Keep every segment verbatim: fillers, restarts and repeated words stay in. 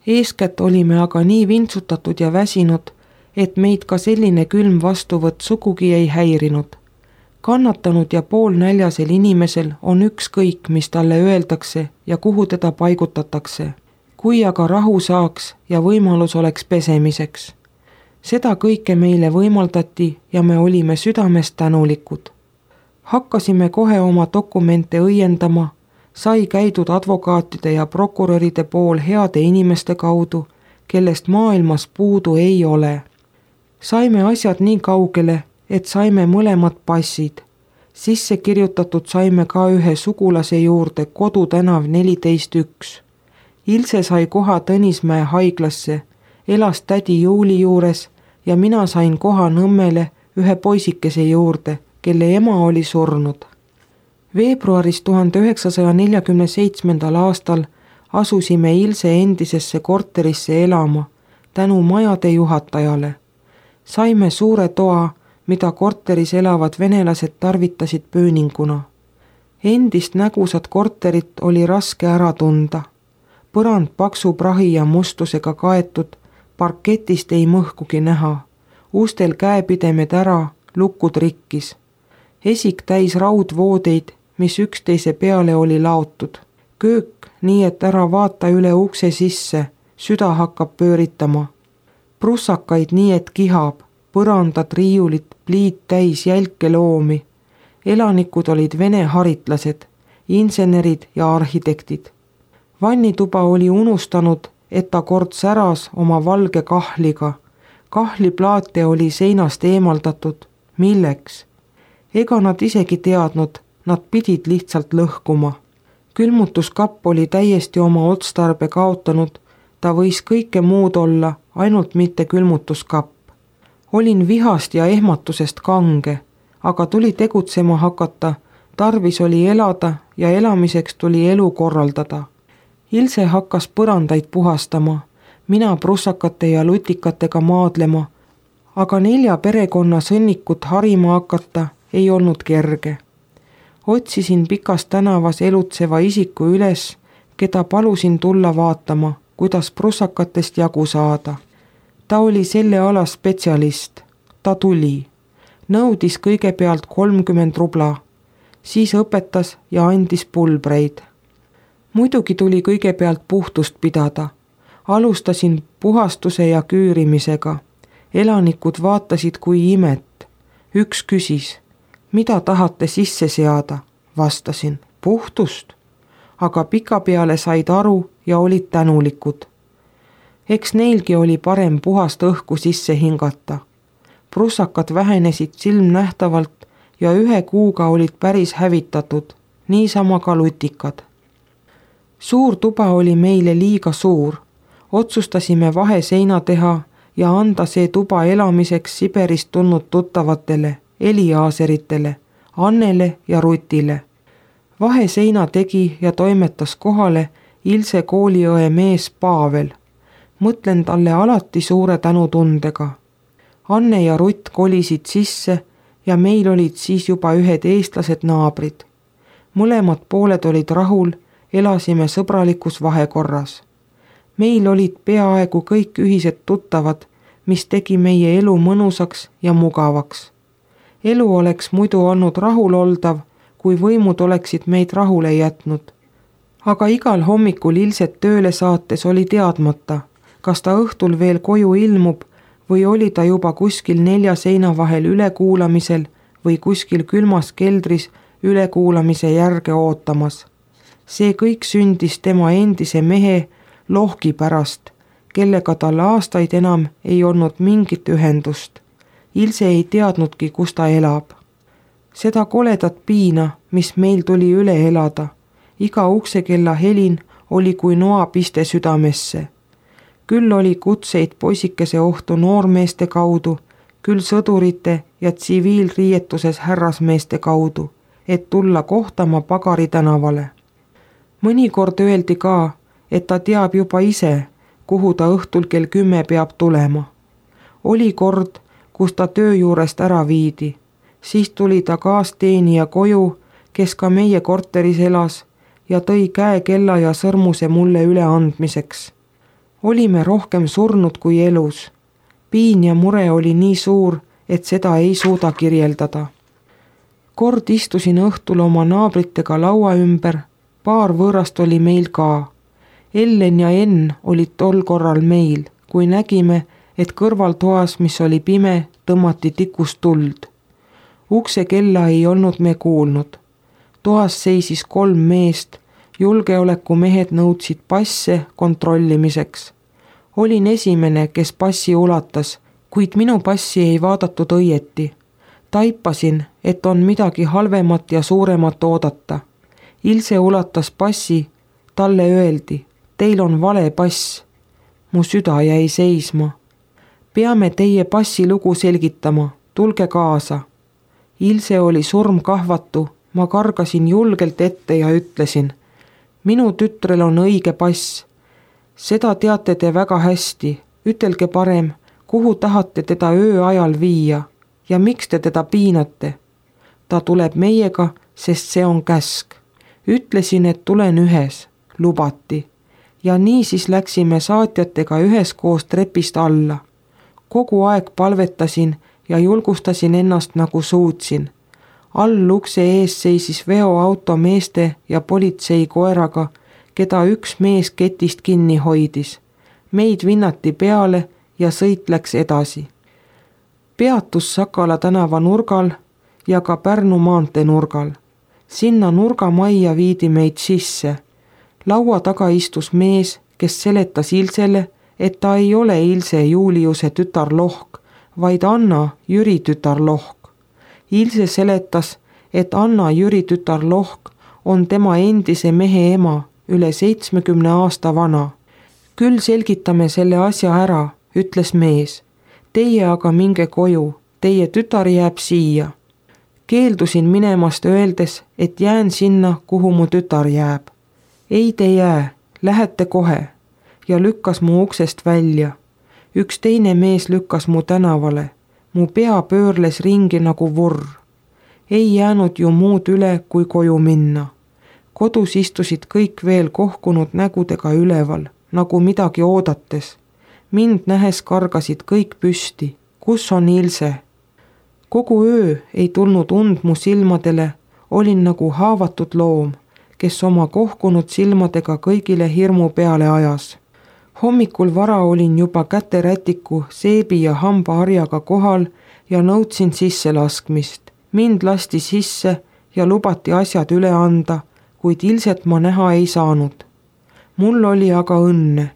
Eeskätt olime aga nii vintsutatud ja väsinud, et meid ka selline külm vastuvõtt sugugi ei häirinud. Kannatanud ja poolnäljasel inimesel on ükskõik, mis talle öeldakse ja kuhu teda paigutatakse, kui aga rahu saaks ja võimalus oleks pesemiseks. Seda kõike meile võimaldati ja me olime südamest tänulikud. Hakkasime kohe oma dokumente õiendama, sai käidud advokaatide ja prokuröride pool heade inimeste kaudu, kellest maailmas puudu ei ole. Saime asjad nii kaugele, et saime mõlemad passid. Sisse kirjutatud saime ka ühe sugulase juurde Kodu tänav neliteist üks. Ilse sai koha Tõnismäe haiglasse, elas tädi Juuli juures ja mina sain koha Nõmmele ühe poisikese juurde, kelle ema oli surnud. Veebruaris tuhande üheksasaja neljakümne seitsmendal aastal asusime Ilse endisesse korterisse elama tänu majade juhatajale. Saime suure toa, mida korteris elavad venelased tarvitasid pööninguna. Endist nägusat korterit oli raske ära tunda. Põrand paksu prahi ja mustusega kaetud, parketist ei mõhkugi näha. Ustel käepidemed ära, lukud rikkis. Esik täis raudvoodeid, mis üksteise peale oli laotud. Köök, nii et ära vaata üle ukse sisse, süda hakkab pööritama. Prussakaid nii, et kihab, põrandad, riiulit, pliit täis jälke loomi. Elanikud olid vene haritlased, insenerid ja arhitektid. Vannituba oli unustanud, et ta kord säras oma valge kahliga. Kahliplaate oli seinast eemaldatud. Milleks? Ega nad isegi teadnud, nad pidid lihtsalt lõhkuma. Külmutuskapp oli täiesti oma otstarbe kaotanud, ta võis kõike muud olla, ainult mitte külmutuskapp. Olin vihast ja ehmatusest kange, aga tuli tegutsema hakata, tarvis oli elada ja elamiseks tuli elu korraldada. Ilse hakkas põrandaid puhastama, mina prussakate ja lutikatega maadlema, aga nelja perekonna sõnnikut harima hakata ei olnud kerge. Otsisin Pikas tänavas elutseva isiku üles, keda palusin tulla vaatama, kuidas prussakatest jagu saada. Ta oli selle ala spetsialist. Ta tuli. Nõudis kõigepealt kolmkümmend rubla, siis õpetas ja andis pulbreid. Muidugi tuli kõigepealt puhtust pidada. Alustasin puhastuse ja küürimisega. Elanikud vaatasid kui imet. Üks küsis, mida tahate sisse seada? Vastasin, puhtust. Aga pikapeale said aru ja olid tänulikud. Eks neilgi oli parem puhast õhku sisse hingata. Prussakad vähenesid silmnähtavalt ja ühe kuuga olid päris hävitatud, niisama ka lutikad. Suur tuba oli meile liiga suur. Otsustasime vaheseina teha ja anda see tuba elamiseks Siberist tulnud tuttavatele, Eliaaseritele, Annele ja Rutile. Vaheseina tegi ja toimetas kohale Ilse kooliõe mees Pavel. Mõtlen talle alati suure tänutundega. Anne ja Rutt kolisid sisse ja meil olid siis juba ühed eestlased naabrid. Mõlemad pooled olid rahul, elasime sõbralikus vahekorras. Meil olid peaaegu kõik ühised tuttavad, mis tegi meie elu mõnusaks ja mugavaks. Elu oleks muidu olnud rahuloldav, kui võimud oleksid meid rahule jätnud. Aga igal hommikul Ilset tööle saates oli teadmata, kas ta õhtul veel koju ilmub või oli ta juba kuskil nelja seina vahel ülekuulamisel või kuskil külmas keldris ülekuulamise järge ootamas. See kõik sündis tema endise mehe Lohki pärast, kellega tal aastaid enam ei olnud mingit ühendust. Ilse ei teadnudki, kus ta elab. Seda koledat piina, mis meil tuli üle elada, iga uksekella helin oli kui noapiste südamesse. Küll oli kutseid poisikese ohtu noormeeste kaudu, küll sõdurite ja tsiviilriietuses härrasmeeste kaudu, et tulla kohtama Pagari tänavale. Mõnikord öeldi ka, et ta teab juba ise, kuhu ta õhtul kell kümme peab tulema. Oli kord, kus ta töö juurest ära viidi. Siis tuli ta kaasteenija koju, kes ka meie korteris elas ja tõi käe kella ja sõrmuse mulle üle andmiseks. olime rohkem surnud kui elus. Piin ja mure oli nii suur, et seda ei suuda kirjeldada. Kord istusin õhtul oma naabritega laua ümber, paar võõrast oli meil ka. Ellen ja Enn olid tol korral meil, kui nägime, et kõrvaltoas, mis oli pime, tõmmati tikust tuld. Ukse kella ei olnud me kuulnud. Toas seisis kolm meest, julgeolekumehed nõudsid passe kontrollimiseks. Olin esimene, kes passi ulatas, kuid minu passi ei vaadatud õieti. Taipasin, et on midagi halvemat ja suuremat oodata. Ilse ulatas passi, talle öeldi, teil on vale pass. Mu süda jäi seisma. Peame teie passi lugu selgitama, tulge kaasa. Ilse oli surmkahvatu, ma kargasin julgelt ette ja ütlesin, minu tütrel on õige pass. Seda teate te väga hästi, ütelge parem, kuhu tahate teda öö ajal viia ja miks te teda piinate. Ta tuleb meiega, sest see on käsk. Ütlesin, et tulen ühes, lubati. Ja nii siis läksime saatjatega üheskoos trepist alla. Kogu aeg palvetasin ja julgustasin ennast nagu suutsin. All ukse ees seisis veoauto meeste ja politsei koeraga, keda üks mees ketist kinni hoidis. Meid vinnati peale ja sõit läks edasi. Peatus Sakala tänava nurgal ja ka Pärnu maantee nurgal. Sinna nurgamajja viidi meid sisse. Laua taga istus mees, kes seletas Ilsele, et ta ei ole Ilse Juliuse tütar Lohk, vaid Anna Jüri tütar Lohk. Ilse seletas, et Anna Jüri tütar Lohk on tema endise mehe ema, üle seitsmekümne aasta vana. Küll selgitame selle asja ära, ütles mees. Teie aga minge koju, teie tütar jääb siia. Keeldusin minemast öeldes, et jään sinna, kuhu mu tütar jääb. Ei te jää, lähete kohe ja lükkas mu uksest välja. Üks teine mees lükkas mu tänavale. Mu pea pöörles ringi nagu vurr. Ei jäänud ju muud üle, kui koju minna. Kodus istusid kõik veel kohkunud nägudega üleval, nagu midagi oodates. Mind nähes kargasid kõik püsti. Kus on Ilse? Kogu öö ei tulnud und mu silmadele, olin nagu haavatud loom, kes oma kohkunud silmadega kõigile hirmu peale ajas. Hommikul vara olin juba käterätiku, seebi ja hambaharjaga kohal ja nõudsin sisse laskmist. Mind lasti sisse ja lubati asjad üle anda, kuid Ilset ma näha ei saanud. Mul oli aga õnne.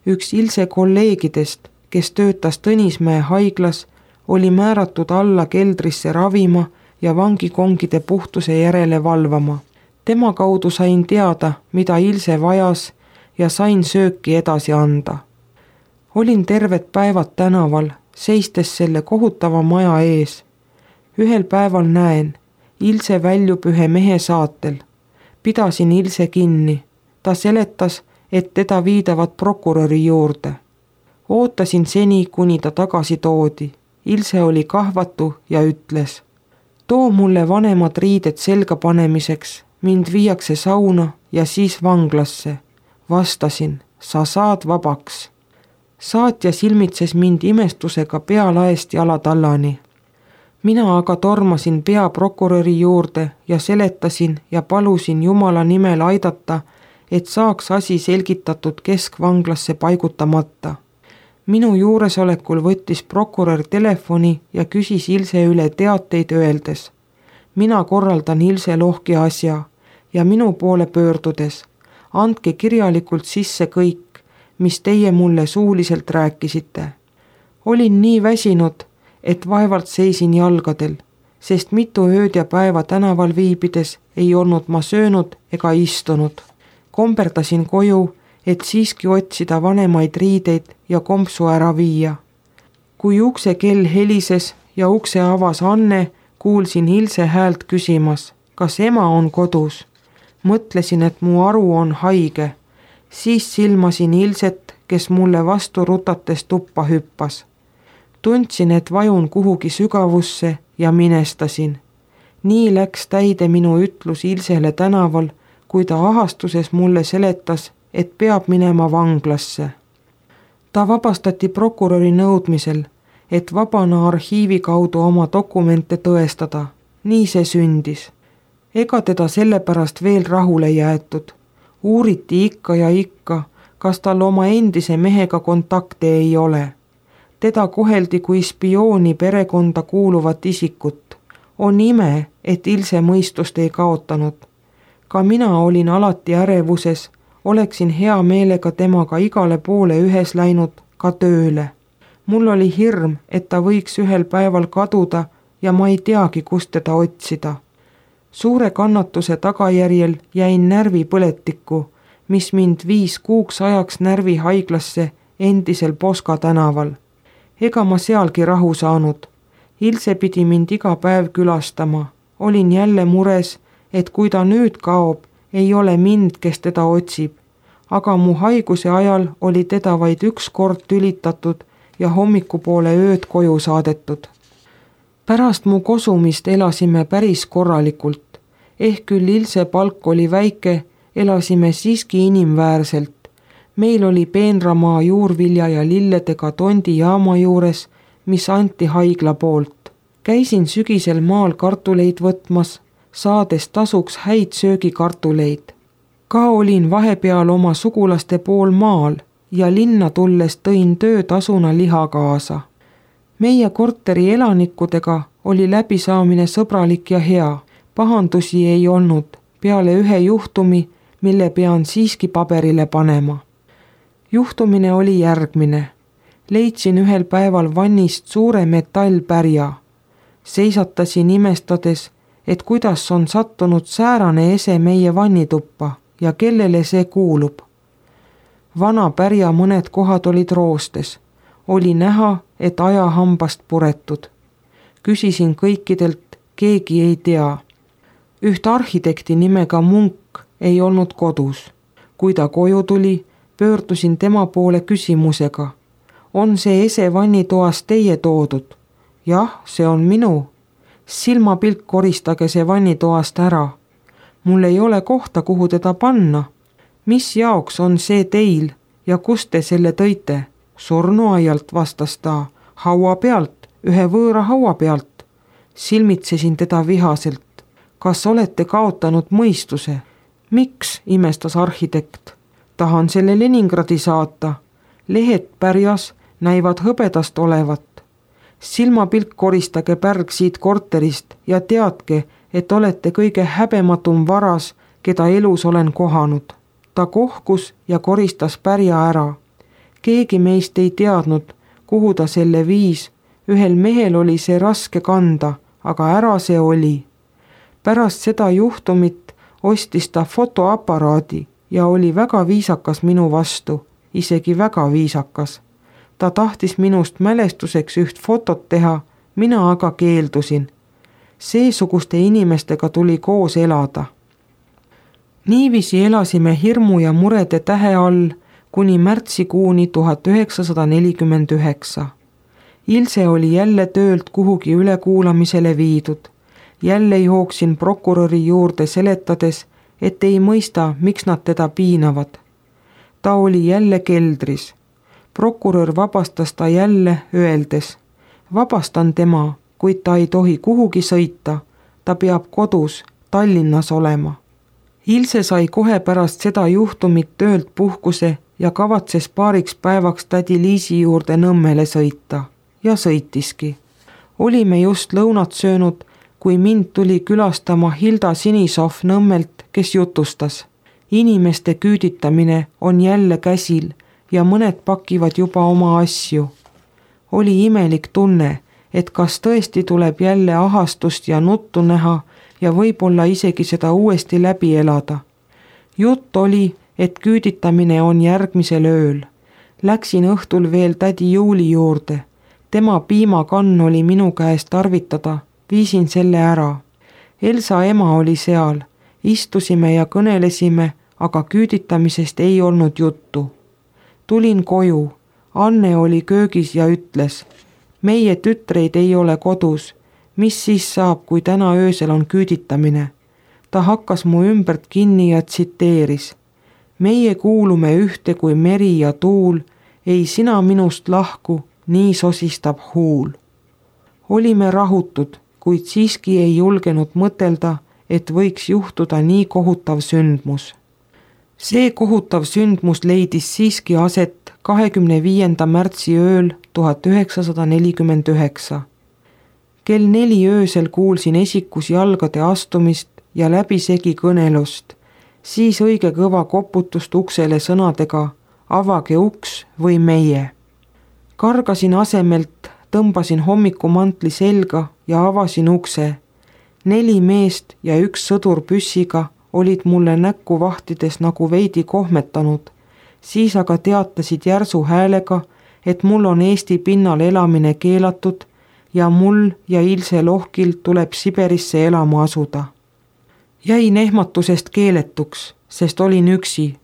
Üks Ilse kolleegidest, kes töötas Tõnismäe haiglas, oli määratud alla keldrisse ravima ja vangikongide puhtuse järele valvama. Tema kaudu sain teada, mida Ilse vajas ja sain sööki edasi anda. Olin terved päevad tänaval, seistes selle kohutava maja ees. Ühel päeval näen, Ilse väljub ühe mehe saatel. Pidasin Ilse kinni. Ta seletas, et teda viidavad prokuröri juurde. Ootasin seni, kuni ta tagasi toodi. Ilse oli kahvatu ja ütles, too mulle vanemad riided selga panemiseks, mind viiakse sauna ja siis vanglasse. Vastasin, sa saad vabaks. Saatja silmitses mind imestusega pealaest jalatallani. Mina aga tormasin peaprokuröri juurde ja seletasin ja palusin Jumala nimel aidata, et saaks asi selgitatud keskvanglasse paigutamata. Minu juuresolekul võttis prokurör telefoni ja küsis Ilse üle teateid öeldes. Mina korraldan Ilse Lohki asja ja minu poole pöördudes. Andke kirjalikult sisse kõik, mis teie mulle suuliselt rääkisite. Olin nii väsinud, et vaevalt seisin jalgadel, sest mitu ööd ja päeva tänaval viibides ei olnud ma söönud ega istunud. Komberdasin koju, et siiski otsida vanemaid riideid ja kompsu ära viia. Kui ukse kell helises ja ukse avas Anne, kuulsin Ilse häält küsimas, kas ema on kodus. Mõtlesin, et mu aru on haige. Siis silmasin Ilset, kes mulle vastu rutates tuppa hüppas. Tundsin, et vajun kuhugi sügavusse ja minestasin. Nii läks täide minu ütlus Ilsele tänaval, kui ta ahastuses mulle seletas, et peab minema vanglasse. ta vabastati prokuröri nõudmisel, et vabana arhiivi kaudu oma dokumente tõestada. Nii see sündis. Ega teda sellepärast veel rahule jäetud. Uuriti ikka ja ikka, kas tal oma endise mehega kontakte ei ole. Teda koheldi kui spiooni perekonda kuuluvat isikut. On ime, et Ilse mõistust ei kaotanud. Ka mina olin alati ärevuses, oleksin hea meelega temaga igale poole ühes läinud, ka tööle. Mul oli hirm, et ta võiks ühel päeval kaduda ja ma ei teagi, kust teda otsida. Suure kannatuse tagajärjel jäin närvipõletikku, mis mind viis kuuks ajaks närvihaiglasse endisel Poska tänaval. Ega ma sealgi rahu saanud. Ilse pidi mind iga päev külastama. Olin jälle mures, et kui ta nüüd kaob, ei ole mind, kes teda otsib. Aga mu haiguse ajal oli teda vaid üks kord tülitatud ja hommikupoole ööd koju saadetud. Pärast mu kosumist elasime päris korralikult. Ehk küll Ilse palk oli väike, elasime siiski inimväärselt. Meil oli peenramaa juurvilja ja lilledega Tondi jaama juures, mis anti haigla poolt. Käisin sügisel maal kartuleid võtmas, saades tasuks häid söögikartuleid. Ka olin vahepeal oma sugulaste pool maal ja linna tulles tõin töötasuna liha kaasa. Meie korteri elanikudega oli läbisaamine sõbralik ja hea. Pahandusi ei olnud, peale ühe juhtumi, mille pean siiski paberile panema. Juhtumine oli järgmine. Leidsin ühel päeval vannist suure metallpärja. Seisatasin imestades, et kuidas on sattunud säärane ese meie vannituppa ja kellele see kuulub. Vana pärja mõned kohad olid roostes. Oli näha, et ajahambast puretud. Küsisin kõikidelt, keegi ei tea. Üht arhitekti nimega Munk ei olnud kodus. Kui ta koju tuli, pöördusin tema poole küsimusega. On see ese vannitoas teie toodud? Jah, see on minu. Silmapilk koristage see vannitoast ära. Mul ei ole kohta, kuhu teda panna. Mis jaoks on see teil ja kust te selle tõite? Surnuaialt, vastas ta. Haua pealt, ühe võõra haua pealt. Silmitsesin teda vihaselt. Kas olete kaotanud mõistuse? Miks, imestas arhitekt? Tahan selle Leningradi saata. Lehed pärjas näivad hõbedast olevat. Silmapilk koristage pärg siit korterist ja teadke, et olete kõige häbematum varas, keda elus olen kohanud. Ta kohkus ja koristas pärja ära. Keegi meist ei teadnud, kuhu ta selle viis. Ühel mehel oli see raske kanda, aga ära see oli. Pärast seda juhtumit ostis ta fotoaparaadi ja oli väga viisakas minu vastu, isegi väga viisakas. Ta tahtis minust mälestuseks üht fotot teha, mina aga keeldusin. Seesuguste inimestega tuli koos elada. Niiviisi elasime hirmu ja murede tähe all kuni märtsikuuni tuhat üheksasada nelikümmend üheksa. Ilse oli jälle töölt kuhugi ülekuulamisele viidud. Jälle jooksin prokuröri juurde seletades, et ei mõista, miks nad teda piinavad. Ta oli jälle keldris. Prokurör vabastas ta jälle öeldes. Vabastan tema, kuid ta ei tohi kuhugi sõita. Ta peab kodus, Tallinnas olema. Ilse sai kohe pärast seda juhtumit töölt puhkuse ja kavatses paariks päevaks tädi Liisi juurde Nõmmele sõita. Ja sõitiski. Olime just lõunat söönud, kui mind tuli külastama Hilda Sinisov Nõmmelt, kes jutustas. Inimeste küüditamine on jälle käsil ja mõned pakivad juba oma asju. Oli imelik tunne, et kas tõesti tuleb jälle ahastust ja nuttu näha ja võib-olla isegi seda uuesti läbi elada. Jutt oli, et küüditamine on järgmisel ööl. Läksin õhtul veel tädi Juuli juurde. Tema piimakann oli minu käest tarvitada. Viisin selle ära. Elsa ema oli seal. Istusime ja kõnelesime, aga küüditamisest ei olnud juttu. Tulin koju. Anne oli köögis ja ütles, meie tütreid ei ole kodus. Mis siis saab, kui täna öösel on küüditamine? Ta hakkas mu ümbert kinni ja tsiteeris. Meie kuulume ühte kui meri ja tuul, ei sina minust lahku, nii sosistab huul. Olime rahutud, kuid siiski ei julgenud mõtelda, et võiks juhtuda nii kohutav sündmus. See kohutav sündmus leidis siiski aset kahekümne viienda märtsi ööl tuhat üheksasada nelikümmend üheksa. Kell neli öösel kuulsin esikus jalgade astumist ja läbisegi kõnelust, siis õige kõva koputust uksele sõnadega avage uks või meie. Kargasin asemelt, tõmbasin hommikumantli selga ja avasin ukse. Neli meest ja üks sõdur püssiga olid mulle näkku vahtides nagu veidi kohmetanud, siis aga teatasid järsu häälega, et mul on Eesti pinnal elamine keelatud ja mul ja Ilse Lohkil tuleb Siberisse elama asuda. Jäin ehmatusest keeletuks, sest olin üksi.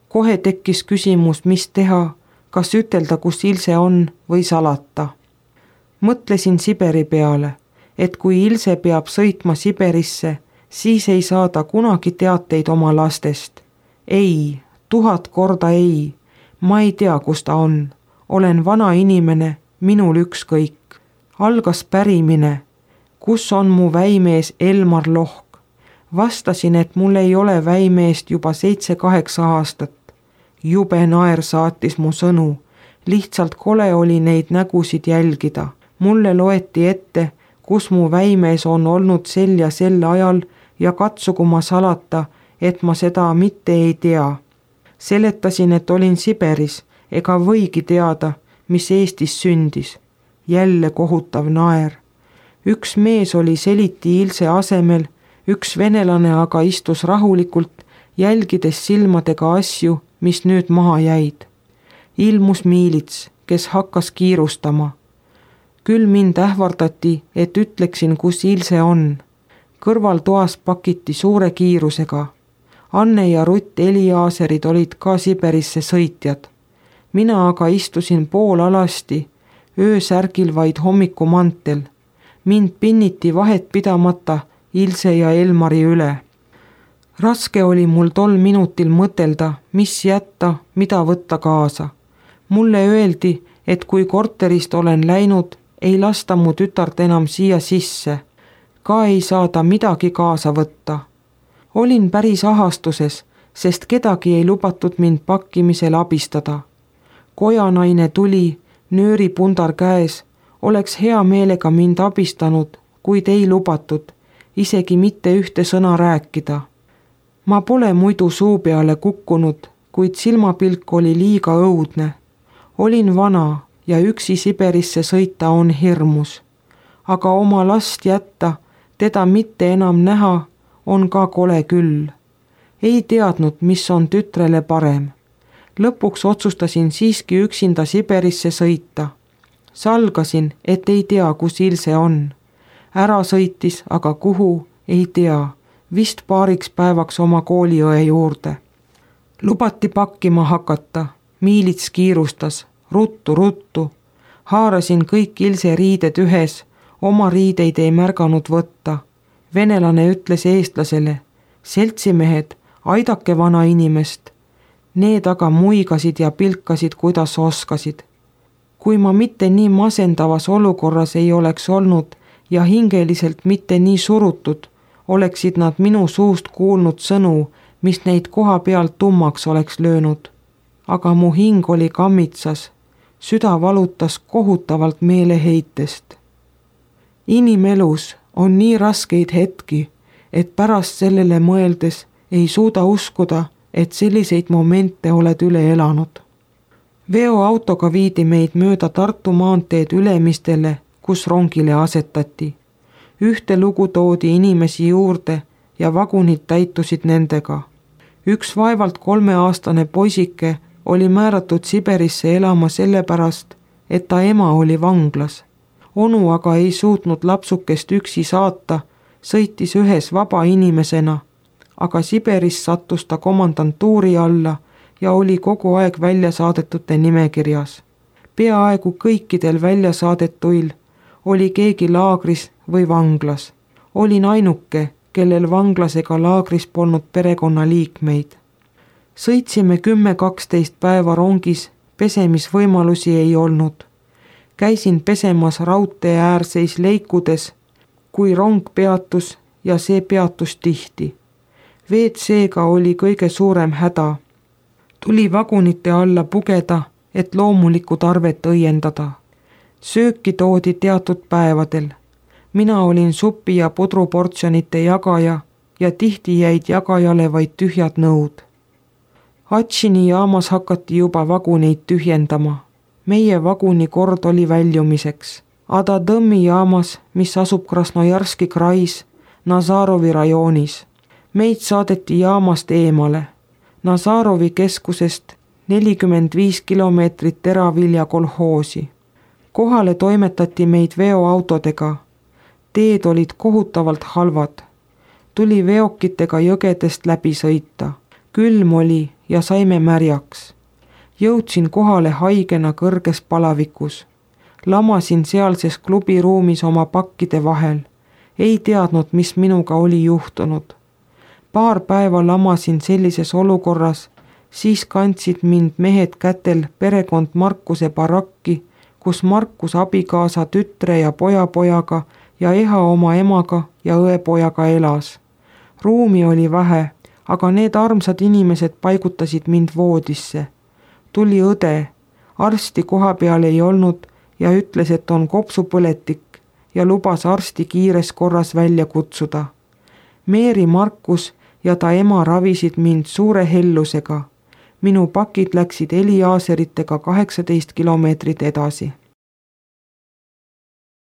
Kohe tekkis küsimus, mis teha, kas ütelda, kus Ilse on või salata. Mõtlesin Siberi peale, et kui Ilse peab sõitma Siberisse, siis ei saada kunagi teateid oma lastest. Ei, tuhat korda ei. Ma ei tea, kus ta on. Olen vana inimene, minul ükskõik. Algas pärimine. Kus on mu väimees Elmar Lohk? Vastasin, et mul ei ole väimeest juba seitse-kaheksa aastat. Jube naer saatis mu sõnu. Lihtsalt kole oli neid nägusid jälgida. Mulle loeti ette, kus mu väimees on olnud sel ja sel ajal ja katsugu ma salata, et ma seda mitte ei tea. Seletasin, et olin Siberis, ega võigi teada, mis Eestis sündis. Jälle kohutav naer. Üks mees oli seliti Ilse asemel, üks venelane aga istus rahulikult, jälgides silmadega asju, mis nüüd maha jäid. Ilmus miilits, kes hakkas kiirustama. Küll mind ähvardati, et ütleksin, kus Ilse on. Kõrval toas pakiti suure kiirusega. Anne ja Rutt Eliaaserid olid ka Siberisse sõitjad. Mina aga istusin pool alasti, öösärgil vaid hommikumantel. Mind pinniti vahet pidamata Ilse ja Elmari üle. Raske oli mul tol minutil mõtelda, mis jätta, mida võtta kaasa. Mulle öeldi, et kui korterist olen läinud, ei lasta mu tütart enam siia sisse. Ka ei saada midagi kaasa võtta. Olin päris ahastuses, sest kedagi ei lubatud mind pakkimisel abistada. Kojanaine tuli, nööripundar käes, oleks hea meelega mind abistanud, kuid ei lubatud, isegi mitte ühte sõna rääkida. Ma pole muidu suu peale kukkunud, kuid silmapilk oli liiga õudne. Olin vana ja üksi Siberisse sõita on hirmus. Aga oma last jätta, teda mitte enam näha, on ka kole küll. Ei teadnud, mis on tütrele parem. Lõpuks otsustasin siiski üksinda Siberisse sõita. Salgasin, et ei tea, kus Ilse on. Ära sõitis, aga kuhu, ei tea. Vist paariks päevaks oma kooliõe juurde. Lubati pakkima hakata. Miilits kiirustas. Ruttu, ruttu. Haarasin kõik Ilse riided ühes. Oma riideid ei märganud võtta. Venelane ütles eestlasele, seltsimehed, aidake vana inimest. Need aga muigasid ja pilkasid, kuidas oskasid. Kui ma mitte nii masendavas olukorras ei oleks olnud ja hingeliselt mitte nii surutud, oleksid nad minu suust kuulnud sõnu, mis neid koha pealt tummaks oleks löönud. Aga mu hing oli kammitsas, süda valutas kohutavalt meeleheitest. Inimelus on nii raskeid hetki, et pärast sellele mõeldes ei suuda uskuda, et selliseid momente oled üle elanud. Veoautoga viidi meid mööda Tartu maanteed Ülemistele, kus rongile asetati. Ühte lugu toodi inimesi juurde ja vagunid täitusid nendega. Üks vaevalt kolmeaastane poisike oli määratud Siberisse elama sellepärast, et ta ema oli vanglas. Onu aga ei suutnud lapsukest üksi saata, sõitis ühes vaba inimesena, aga Siberis sattus ta komandantuuri alla ja oli kogu aeg väljasaadetute nimekirjas. Peaaegu kõikidel väljasaadetuil oli keegi laagris või vanglas. Olin ainuke, kellel vanglasega laagris polnud perekonnaliikmeid. Sõitsime kümme kaksteist päeva rongis pesemisvõimalusi ei olnud. Käisin pesemas raudtee äärseis leikudes, kui rong peatus ja see peatus tihti. ve et seega oli kõige suurem häda. Tuli vagunite alla pugeda, et loomulikku tarvet õiendada. Sööki toodi teatud päevadel. Mina olin supi ja pudruportsjonite jagaja ja tihti jäid jagajale vaid tühjad nõud. Atšini jaamas hakati juba vaguneid tühjendama. Meie vaguni kord oli väljumiseks. Adadõmmi jaamas, mis asub Krasnojarski krais, Nazarovi rajoonis. Meid saadeti jaamast eemale. Nazarovi keskusest nelikümmend viis kilomeetrit teravilja kolhoosi. Kohale toimetati meid veoautodega. Teed olid kohutavalt halvad. Tuli veokitega jõgedest läbi sõita. Külm oli ja saime märjaks. Jõudsin kohale haigena kõrges palavikus. Lamasin sealses klubiruumis oma pakkide vahel. Ei teadnud, mis minuga oli juhtunud. Paar päeva lamasin sellises olukorras, siis kandsid mind mehed kätel perekond Markuse barakki, kus Markus abikaasa tütre ja pojapojaga ja Eha oma emaga ja õepojaga elas. Ruumi oli vähe, aga need armsad inimesed paigutasid mind voodisse. Tuli õde, arsti koha peal ei olnud ja ütles, et on kopsupõletik ja lubas arsti kiires korras välja kutsuda. Meeri Markus ja ta ema ravisid mind suure hellusega. Minu pakid läksid heliaaseritega kaheksateist kilomeetrit edasi.